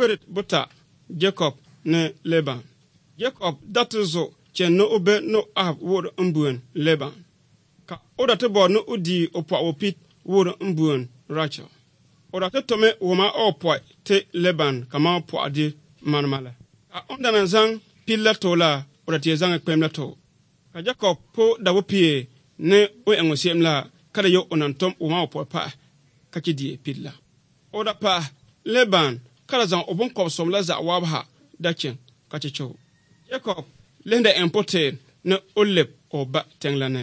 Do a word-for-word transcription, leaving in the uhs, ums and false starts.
weret buta Jacob ne Laban. Jacob datuzo chen no obe no ab wor mbuen Laban. Ka oda te bo no udi opa opit wor mbuen Rachel. Oda te tome woma opoi te Laban kama opo adi manmala. Ka onda na zang pilla tola oda te zang ekpemla to. Ka Jacob po dawo pie ne o engosiem la kada yo onantom woma opo pa kakidie pilla. Oda pa Laban kada zang obon kopsom la za wabha dachen kachicho. Jacob lende empote ne olep oba tenglane.